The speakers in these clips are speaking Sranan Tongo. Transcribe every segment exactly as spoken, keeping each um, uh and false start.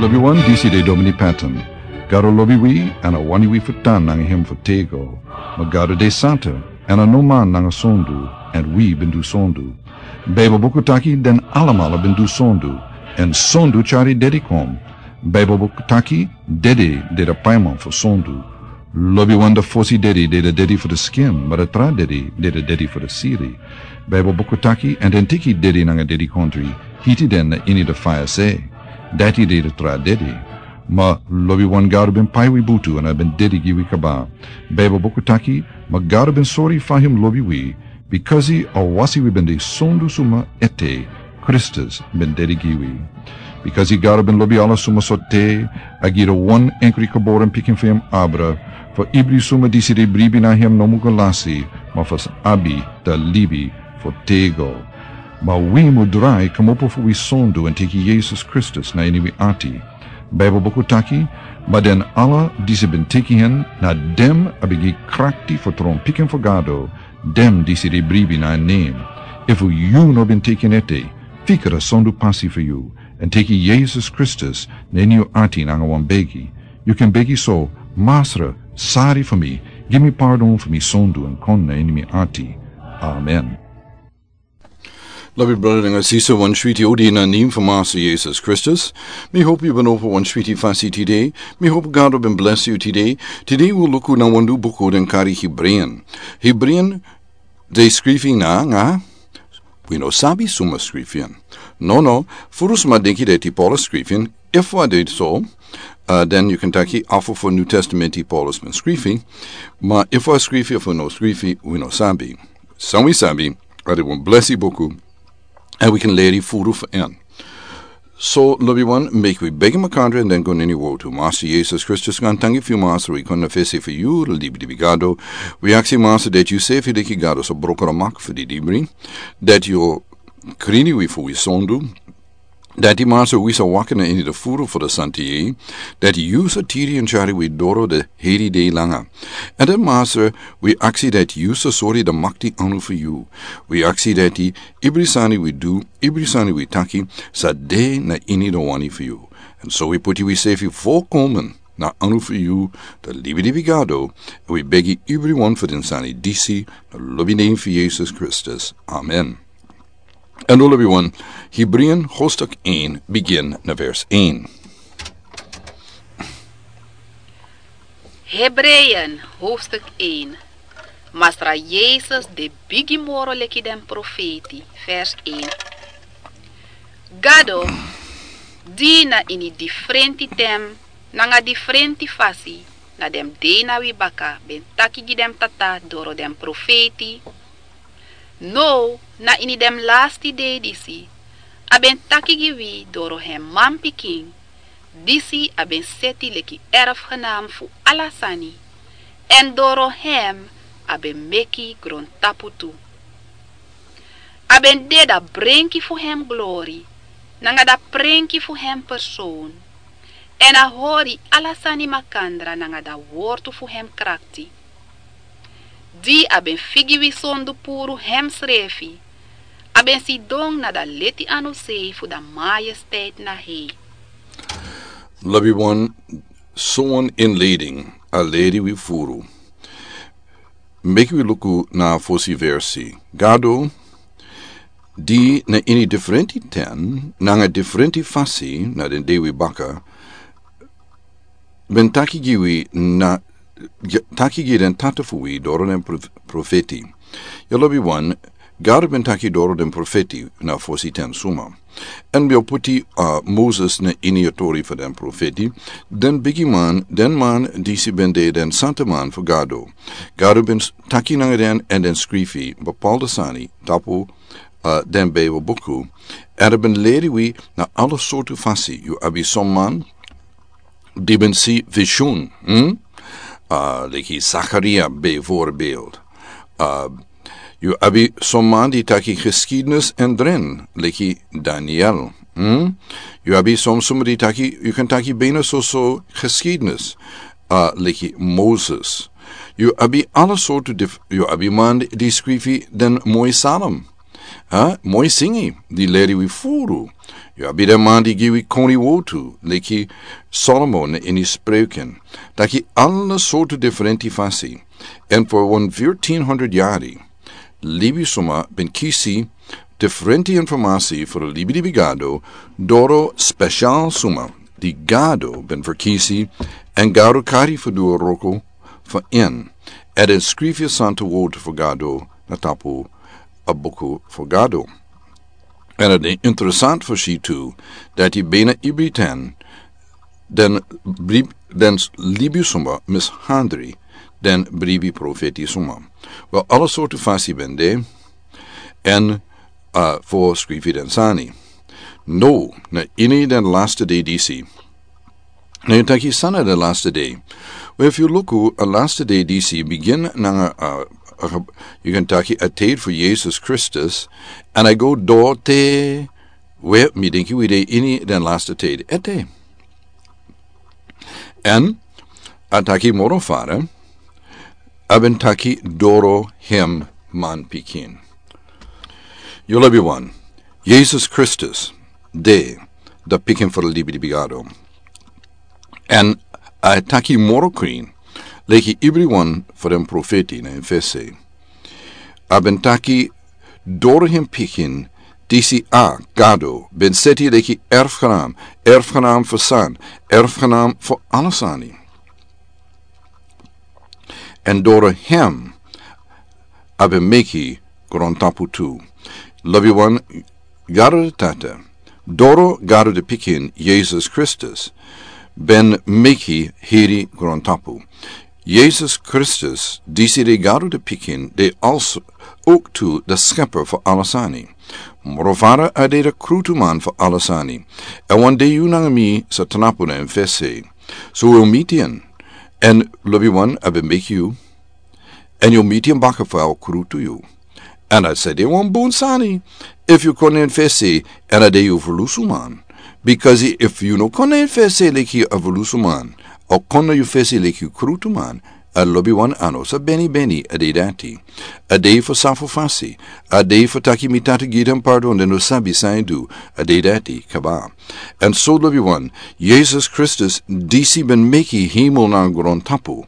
Wi wan disi de Domini Patton. Gado lobi wi, èn a wani wi fu tan nanga hem fu tego. Ma Gado de santa, èn a no man nanga sondu, èn wi ben du sondu. Baibel buku taki den alamala ben du sondu, èn sondu tyari dedi kon. Baibel buku taki dedi de de paiman fu sondu. Lobiwan de fosi dedi de de dedi fu de skin, ma de tra dedi de de dedi fu de siri. Baibel buku taki, èn den teki dedi nanga dedikontri, hiti den na ini de faya se. Dati de de tra dedi. Ma lobiwan Gado ben pai wi butu èn a ben dedi gi wi kaba. Baibel buku taki, ma Gado ben sori fa hem lobi wi, bikasi a wasi wi ben de sondu suma ete, Kristus ben dedi gi wi. Bikasi Gado ben lobi ala suma so te, a gi de wan enkri geboren pikin fu hem abra, fu ibri suma disi de bribi na hem no mu go lasi, ma fu abi de libi fu tego. Ma wi mu drai kmopo fu wi sondu èn teki Yesus Kristus na ini wi ati. Baibel buku taki, ma den ala disi ben teki hen, na dem a ben gi krakti fu tron pikin fu Gado, dem disi de bribi na en nen. Efu yu no ben teki en ete, fika de sondu pasi fu yu, èn teki Yesus Kristus na ini yu ati nanga wan begi. Yu kan begi so, Masra, sari fu mi, gi mi pardon fu mi sondu èn kon na ini mi ati. Amen. Lobi brada nanga sisa, wan switi odi na nen fu Masra Yesus Kristus. Mi hopu yu ben opo wan switi fasi tide. Mi hopu Gado ben blesi yu tide. Tide wi luku na wan nyun buku den kari Hebreean. Hebreean de skrifi nanga, wi no sabi suma skrifi en. No, no, furu suma denki dati Paulus skrifi en. Efu a de so, uh, den yu kan taki afu fu New Testament di Paulus ben skrifi. Ma efu a skrifi efu no skrifi, wi no sabi. San wi sabi, a de wan blesi buku, èn wi kan leri furu fu en. So, lobiwan, meki wi begi makandra èn den go na ini wortu. Masra Yesus Kristus, gan tangi fu yu, Masra, wi kon na fesi fu yu, libi di wi Gado. Wi aksi, Masra, dati yu sefi de gi Gado so broko na mak fu di dibri. Dati yu krini wi fu wi sondu. Dati, Masra, wi sa waka na ini de furu fu de santa yei. Dati yu sa tiri èn tyari wi doro de heri dei langa. Èn den, Masra, wi aksi dati yu sa sori de makti anu fu yu. Wi aksi dati ibri sani wi du, ibri sani wi taki, sa de na ini de wani fu yu. Èn so wi puti wi sefi volkomen na anu fu yu, de libi di wi Gado, èn wi begi ibriwan fu den sani disi, na lobi nen fu Yesus Kristus. Amen. Èn lobiwan, Hebreean hoofdstuk één, begin na vers één. Hebreeën hoofdstuk één. Masra Yesus de bigi moro leki den profeti, vers één. Gado, di na ini difrenti ten, nanga difrenti fasi, na den dei na wi baka, ben taki gi den tata doro den profeti, now, na ini den lasti dei disi, a ben taki gi wi doro hem manpikin, disi a ben seti leki erfgenaam fu ala sani, èn doro hem a ben meki grontapu tu. A ben de da brenki fu hem glori, nanga da prenki fu hem persoon, èn a hori ala sani makandra nanga da wortu fu hem krakti. Di a ben figi wi sondu puru hemsrefi, a ben sidon na da leti anu sei fu da majesteit na hei. Lobiwan, sowan inleiding a leri wi furu. Meki wi luku na fosi versi. Gado, di na ini difrenti ten, nanga difrenti fasi na den dei wi baka, ben taki gi wi na, gi-, taki gi den tata fu wi doro den prof-, profeti. Yu lobiwan, Gado ben taki doro den profeti na fosi ten suma. Èn ben puti, uh, Moses na ini a tori fu den profeti. Den bigiman, den man disi ben de den santaman fu Gado. Gado ben s-, taki nanga den èn den skrifi bepaalde sani tapu, uh, den Bijbel buku. Èn a ben leri wi na ala sortu fasi. Yu abi son man di ben si visioen, hm? Uh, leki Zakaria bijvoorbeeld. Uh, yu abi son man di taki geschiedenis èn dromen, leki Daniel, hm? Yu abi son suma di taki, yu kan taki bijna so so geschiedenis, uh, leki Moses. Yu abi ala sortu dif-, yu abi man di skrifi den moi psalm. Ha, moi singi, di leri wi furu. Yu abi den man di gi wi koni wotu, leki Solomon ini Spreuken. Taki ala sortu diferenti fasi. En for wan fourteen hundred yari, libi suma ben kisi diferenti informasi for libi di Gado, doro spesial suma di Gado ben verkisi, en Gado kari fu du wroko fu en. En den skrifi a santa wotu fu Gado na tapu a buku fu Gado. En a de interesant fu si tu, dati bena ibri ten, den bri-, den libi suma mishandri, den bribi profeti suma. Wel, ala sortu fasi ben de, en, uh, fu skrifi den sani. No, na ini den laste dei disi. Na yu taki san na den laste dei. Wel, if yu luku, a laste dei disi bigin nanga, uh, uh, yu kan taki a tid fu Jesus Kristus, en a go doro te, wel, mi denki wi de ini den laste tid. Ete. En a taki moro fara, a ben taki doro hem manpikin. Yu lobi wan, Jesus Kristus, de, da pikin for libi di Gado. En a taki moro krin, leki ibri wan for den profeti na en fesi. A ben taki doro hem pikin, disi a Gado ben seti leki erfgenaam, erfgenaam fu san, erfgenaam fu ala sani. En doro hem a ben meki grontapu tu. Lobi wan, Gado de Tata, doro Gado de Pikin, Jesus Kristus, ben meki heri grontapu. Jesus Kristus, disi de Gado de Pikin, de also ook tu de Schepper fu ala sani. Moro fara, a de de krutuman fu ala sani. En wan dei yu nanga mi sa tnapu na en fesi. So wi o miti en. En lobi wan, a ben meki yu. En yu o miti en baka fu a o krutu yu. En a sa de wan bun sani, if yu kon na en fesi, en a de yu ferlusuman. Because if yu no kon na en fesi leki a ferlusuman, a o kon na yu fesi leki krutuman, a lobi wan, a no sa beni beni a dei dati. A dei fu sa fu fasi, a dei fu taki mi Tata gi den pardon, den no sabi san den du, a dei dati kaba. En so lobi wan, Jesus Kristus, disi ben meki hemel nanga grontapu,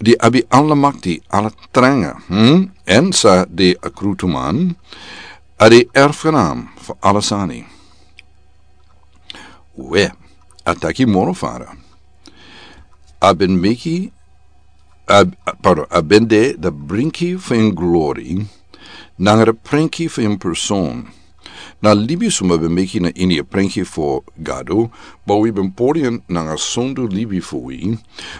di abi ala makti, ala tranga, hm? En sa de a krutuman, a de erfgenaam fu ala sani. Wel, a taki moro fara. A ben meki, a, a, pardon, a ben de de brinki fu en glori, nanga de prenki fu en person. Na libi suma ben meki na ini a prenki fu Gado, ma wi ben pori en nanga sondu libi fu wi.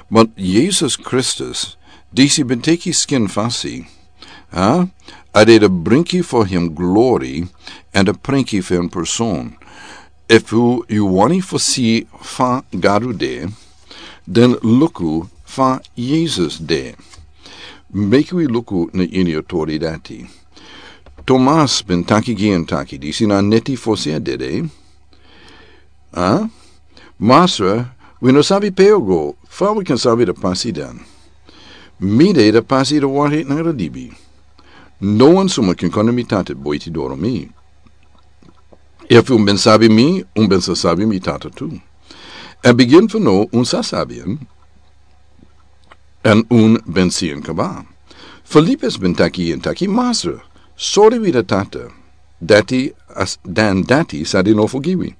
Ma Jesus Kristus, disi ben teki skin fasi, ha? A de de brinki fu hem glori, en de prenki fu en person. Efu yu wani fu si fa Gado de, den luku fa Jesus de. Meki wi luku na ini a tori dati. Tomas ben taki gi en taki, disi na neti fosi a dede. Ha? Masra, wi no sabi pe yu o go, fa wi kan sabi de pasi dan? Mi de de pasi, de wari nanga de libi. No wan suma kan kon na mi Tata buiti doro mi. Efu un ben sabi mi, un ben sa sabi mi Tata tu. En bigin fu now un sa sabi en, en un ben si en kaba. Filipus ben taki en taki, Masra, sori wi de Tata, dati a s-, dan dati sa de nofo gi wi.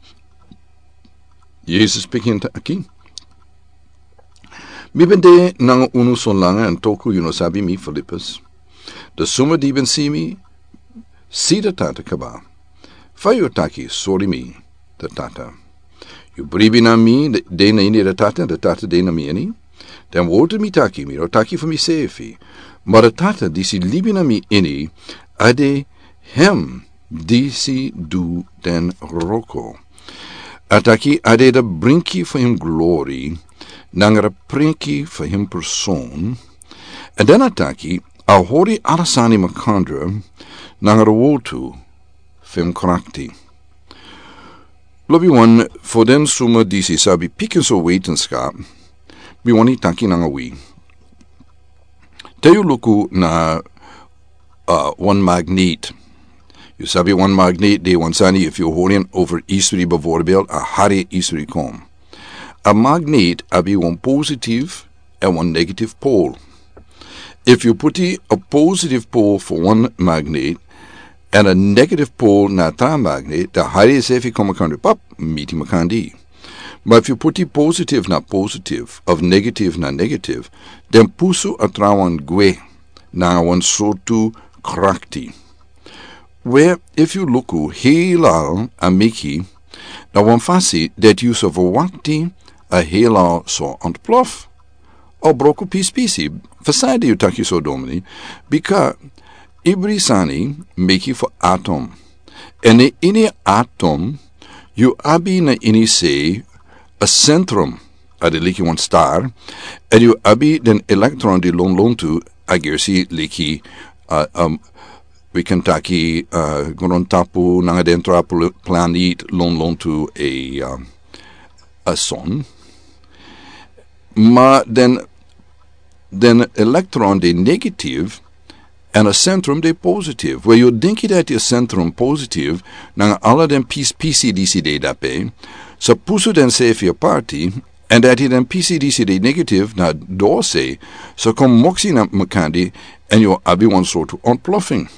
Jesus piki en taki, mi ben de nanga unu so langa, en toku yu no sabi mi, Filipus? De suma di ben si mi, si de Tata kaba. Fa yu o taki, sori mi de Tata? Yu bribi na mi, de, de na ini de Tata, de Tata de na mi ini. Den wortu mi taki, mi no taki fu misefi. Ma de Tata disi libi na mi ini, a de hem disi du den wroko. A taki a de de brinki fu hem glori, nanga de prenki fu hem person. En dan a taki, a hori ala sani makandra, nanga de wortu fu hem krakti. Lobi wan, fu den suma disi sabi pikinso wetenskap, mi wani taki nanga wi. Te yu luku na, uh, wan magnet. Yu sabi wan magnet de wan sani, efu yu hori en over istri, bijvoorbeeld, a hari istri kon. A magnet abi wan positive èn wan negative pole. Efu yu puti a positive pole fu wan magnet èn a negative pole na a tra magnet, dan a hari srefi kon makandra, pap, miti makandra. Ma efu yu puti positive na positive, of negative na negative, dan pusu a trawan gwe nanga wan sortu krakti. We, efu yu luku heelal a meki na wan fasi dati yu sa verwakti a heelal sa ontplof. A broko pispisi. Fu san ede yu taki so, dominee? Bika ibri sani meki fu atom. Èn na ini atom yu abi na ini sei a sentrum, a de leki wan star, èn yu abi den elektron di lonlontu, a gersi leki, uh, um, wi kan taki, uh, grontapu nanga den tra pl-, planet lonlontu a, uh, a son. Ma den, den elektron de negative, èn a sentrum de positive. We, yu denki dati a sentrum positive nanga ala den pispisi disi de dape sa pusu densrefi aparti, èn dati den pisi disi de negative na dose sa kon moksi na makandra, èn yu abi wan sortu ontploffing.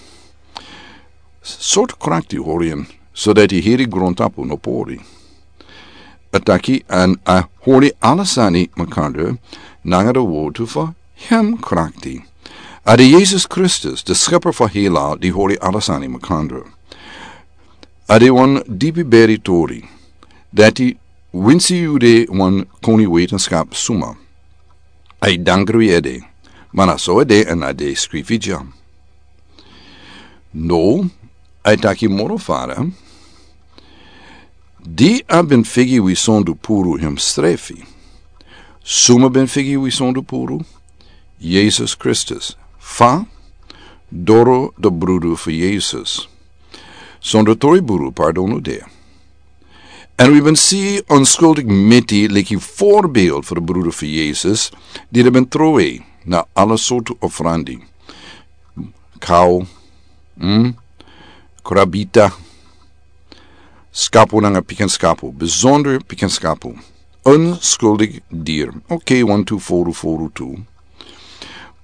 Sortu krakti hori en, so dati heri grontapu no pori. A taki èn a hori ala sani makandra nanga a wortu fu hem krakti. A de Yesus Kristus, de Skepper fu heelal, di hori ala sani makandra. A de wan dipi beri tori dati winsi yu de wan koni wetenskap suma, a e dangri ede, ma na so ede èn a de skrifi dya. No, a e taki moro fara. Di a ben figi wi sondu puru hemsrefi. Suma ben figi wi sondu puru? Yesus Kristus. Fa? Doro de brudu fu Yesus. Sondu tori brudu pardon no de. Èn wi ben si onskuldik meti leki voorbeeld fu de brudu fu Yesus, di de ben trowe na ala sortu ofrandi. Kau, mm, krabita, skapu nanga pikin skapu, bijzonder pikin skapu. Onskuldik dier. Oké, wan tu foru foru tu.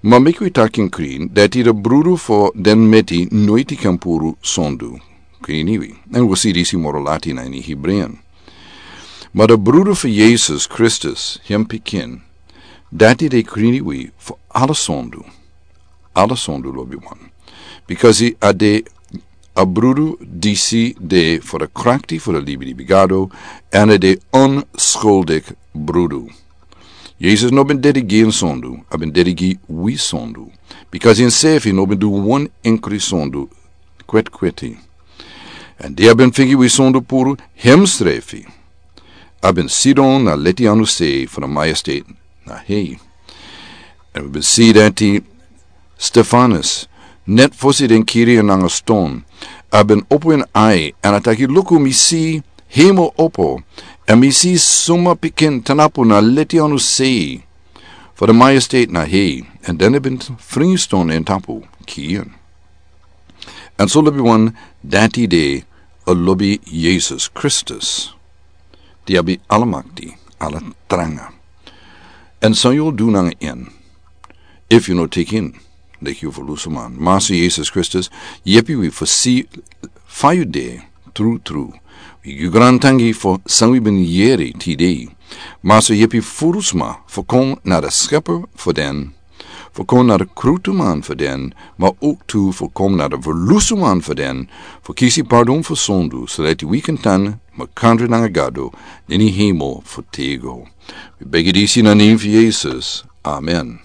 Ma meki wi taki en krin, dati de brudu fu den meti noiti kan puru sondu. Krini wi. Èn wi si disi moro lati na ini Hebreeën. Ma de brudu fu Yesus Kristus, hem pikin, dati de krini wi fu ala sondu. Ala sondu, lobiwan. Bikasi a de a brudu disi de fu de krakti fu de libi di bigado, èn a de onskuldik brudu. Yesus no ben dede gi en sondu, a ben dede gi wi sondu. Bikasi ensrefi no ben du wan enkri sondu kwetkweti. Èn di a ben figi wi sondu puru, hemsrefi a ben sidon na leti anu sei fu de majesteit na hei. Èn wi ben si dati Stefanus, net fosi den kiri en nanga ston, a ben opo en ai, èn a taki, luku, mi si hemel opo, èn mi si suma pikin tanapu na leti anu sei fu de majesteit na hei. Èn den a ben fringi ston en tapu, kiri en. Èn so, lobiwan, dati de a lobi Yesus Kristus, di abi ala makti, ala tranga. Èn san yu o du nanga en, efu yu no teki en leki yu ferlusuman? Masa Yesus Kristus, yepi wi fu si fa yu de trutru. Wi gi yu grantangi fu san wi ben yere tide. Masa, yepi ferlusuma fu kon na de Skepper fu den, fu kon na de krutuman fu den, ma ook tu fu kon na de ferlusuman fu den, fu kisi pardon fu sondu, so dati wi kan tan makandra nanga Gado na ini hemel fu tego. Wi begi disi na nen fu Yesus. Amen.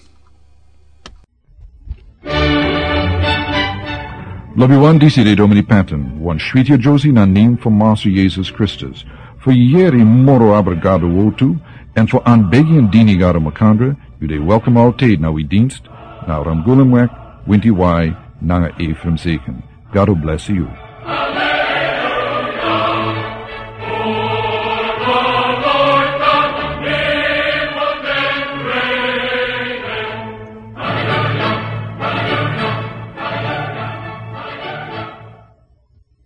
Lobiwan, disi de Dominee Patton, wan switi a Josie na nen fu Masa Yesus Kristus. Fu yere moro abra Gado wortu, èn fu anbegi èn dini Gado makandra, yu de welkom altijd na wi dienst, na Ramgulemweg, Winti Wai, nanga Ephraim Zeken. Gado bless yu.